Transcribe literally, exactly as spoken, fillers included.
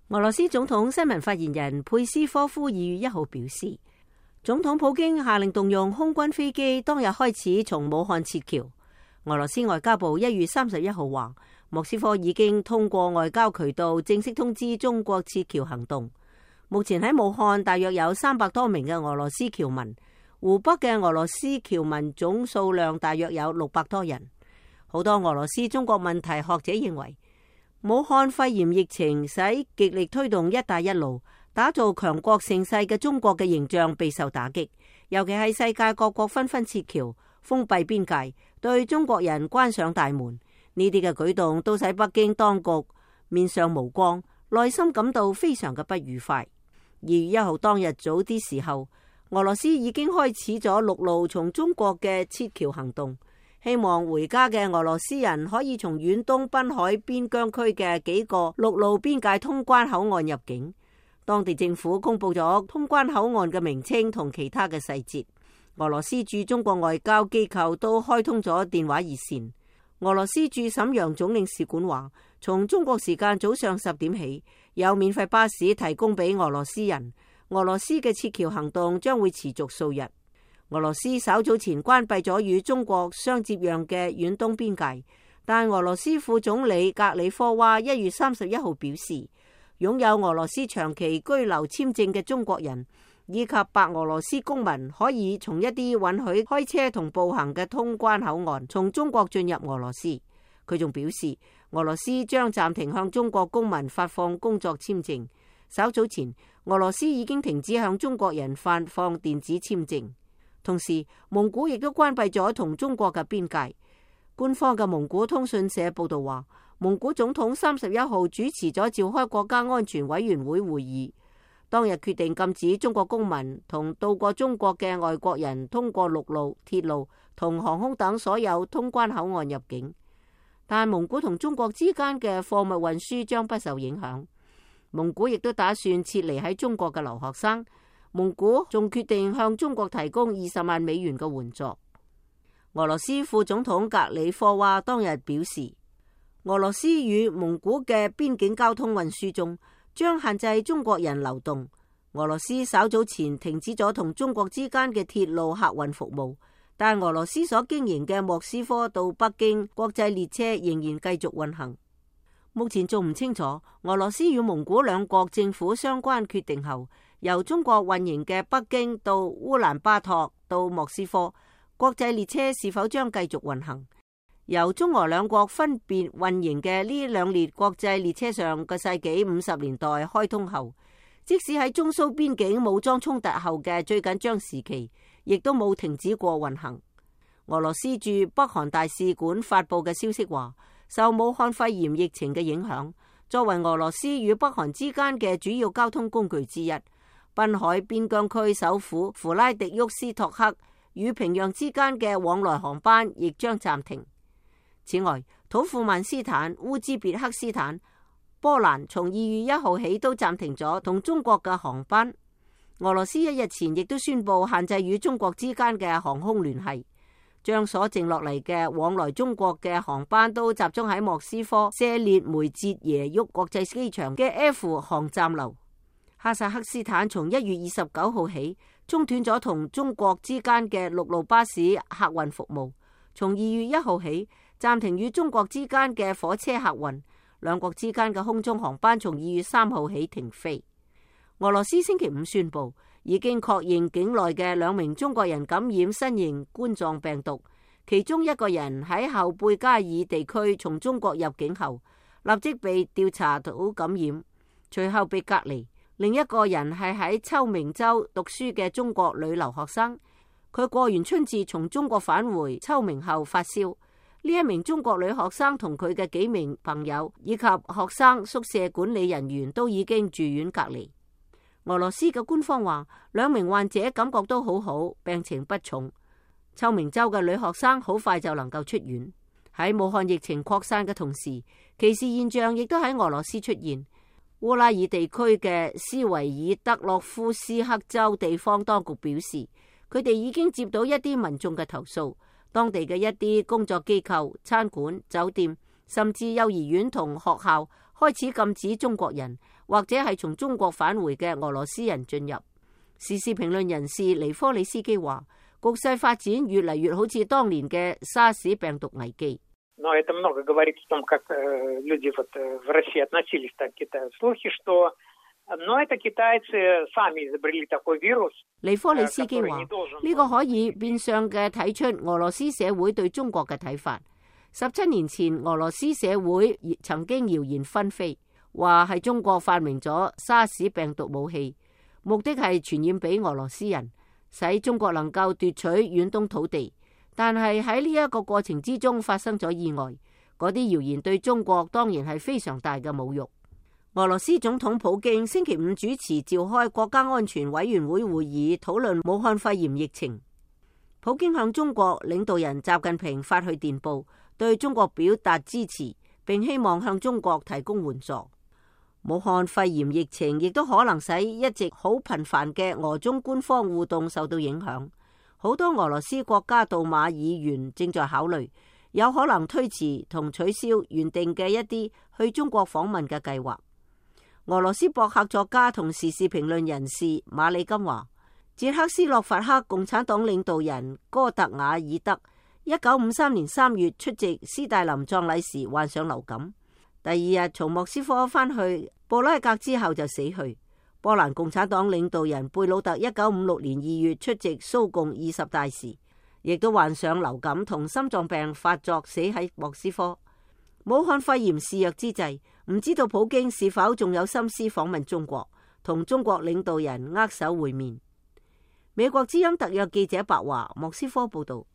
俄羅斯總統新聞發言人佩斯科夫二月一號表示，總統普京下令動用空軍飛機，當日開始從武漢撤僑。俄羅斯外交部一月三十一號話，莫斯科已經通過外交渠道正式通知中國撤僑行動。目前喺武漢大約有三百多名嘅俄羅斯僑民，湖北嘅俄羅斯僑民總數量大約有六百多人。好多俄羅斯中國問題學者認為，武漢肺炎疫情使極力推動一帶一路、打造強國盛世嘅中國嘅形象備受打擊，尤其係世界各國紛紛撤僑、封閉邊界，對中國人關上大門。呢啲嘅舉動都使北京當局面上無光，內心感到非常嘅不愉快。二月一號當日早啲時候，俄羅斯已經開始咗陸路從中國嘅撤僑行動。希望回家嘅俄羅斯人可以從遠東濱海邊疆區嘅幾個陸路邊界通關口岸入境。當地政府公布咗通關口岸嘅名稱同其他嘅細節。俄羅斯駐中國外交機構都開通咗電話熱線。俄羅斯駐瀋陽總領事館話，從中國時間早上十點起，有免費巴士提供俾俄羅斯人。俄羅斯嘅撤僑行動將會持續數日。俄羅斯稍早前關閉咗與中國相接壤嘅遠東邊界，但俄羅斯副總理格里科娃一月三十一號表示，擁有俄羅斯長期居留簽證嘅中國人以及白俄羅斯公民可以從一啲允許開車同步行嘅通關口岸從中國進入俄羅斯。佢仲表示，俄羅斯將暫停向中國公民發放工作簽證。稍早前，俄羅斯已經停止向中國人發放電子簽證。同時，蒙古亦都關閉咗同中國嘅邊界。官方嘅蒙古通訊社報道話，蒙古總統三十一號主持咗召開國家安全委員會會議，當日決定禁止中國公民同到過中國嘅外國人通過陸路、鐵路同航空等所有通關口岸入境。但蒙古同中國之間嘅貨物運輸將不受影響。蒙古亦都打算撤離喺中國嘅留學生。蒙古仲決定向中國提供二十萬美元嘅援助。俄羅斯副總統格里科娃當日表示，俄羅斯與蒙古嘅邊境交通運輸中將限制中國人流動。俄羅斯稍早前停止咗同中國之間嘅鐵路客運服務，但俄羅斯所經營嘅莫斯科到北京國際列車仍然繼續運行。目前仲唔清楚俄羅斯與蒙古兩國政府相關決定後，由中國運營嘅北京到烏蘭巴托到莫斯科國際列車是否將繼續運行？由中俄兩國分別運營嘅呢兩列國際列車上個世紀五十年代開通後，即使喺中蘇邊境武裝衝突後嘅最緊張時期，亦都冇停止過運行。俄羅斯駐北韓大使館發佈嘅消息話，受武漢肺炎疫情嘅影響，作為俄羅斯與北韓之間嘅主要交通工具之一，濱海邊疆區首府弗拉迪沃斯托克與平壤之間嘅往來航班亦將暫停。此外，土庫曼斯坦、烏茲別克斯坦、波蘭從二月一號起都暫停咗同中國嘅航班。俄羅斯一日前亦都宣布限制與中國之間嘅航空聯繫，將所剩落嚟嘅往來中國嘅航班都集中喺莫斯科謝列梅捷耶沃國際機場嘅 F 航站樓。哈薩克斯坦從一月二十九號起中斷咗同中國之間嘅陸路巴士客運服務，從二月一號起暫停與中國之間嘅火車客運，兩國之間嘅空中航班從二月三號起停飛。俄羅斯星期五宣布，已經確認境內嘅兩名中國人感染新型冠狀病毒，其中一個人喺後貝加爾地區從中國入境後，立即被調查到感染，隨後被隔離。另一個人係喺秋明州讀書嘅中國女留學生，佢過完春節從中國返回秋明後發燒。呢一名中國女學生同佢嘅幾名朋友以及學生宿舍管理人員都已經住院隔離。俄羅斯嘅官方話，兩名患者感覺都好好，病情不重。秋明州嘅女學生好快就能夠出院。喺武漢疫情擴散嘅同時，歧視現象亦都喺俄羅斯出現。烏拉爾地區嘅斯維爾德洛夫斯克州地方當局表示，佢哋已經接到一啲民眾嘅投訴，當地嘅一啲工作機構、餐館、酒店，甚至幼兒園同學校開始禁止中國人或者係從中國返回嘅俄羅斯人進入。時事評論人士尼科里斯基話，局勢發展越嚟越好似當年嘅沙士病毒危機。尼科里斯基話，呢個可以變相嘅睇出俄羅斯社會對中國嘅睇法。十七年前，俄羅斯社會曾經謠言紛飛，話係中國發明咗沙士病毒武器，目的係傳染俾俄羅斯人，使中國能夠奪取遠東土地。但係喺呢一個過程之中發生咗意外，嗰啲謠言對中國當然係非常大嘅侮辱。俄羅斯總統普京星期五主持召開國家安全委員會會議，討論武漢肺炎疫情。普京向中國領導人習近平發去電報，對中國表達支持，並希望向中國提供援助。武漢肺炎疫情亦都可能使一直好頻繁嘅俄中官方互動受到影響。好多俄羅斯國家杜馬議員正在考慮，有可能推遲同取消原定嘅一啲去中國訪問嘅計劃。俄羅斯博客作家同時事評論人士馬里金話，捷克斯洛伐克共產黨領導人哥特瓦爾德一九五三年三月出席斯大林葬禮時患上流感，第二日從莫斯科返去布拉格之後就死去。波蘭共產黨領導人貝魯特一九五六年二月出席蘇共二十大時，亦都患上流感同心臟病發作死喺莫斯科。武漢肺炎肆虐之際，唔知道普京是否仲有心思訪問中國，同中國領導人握手會面。美國之音特約記者白華莫斯科報道。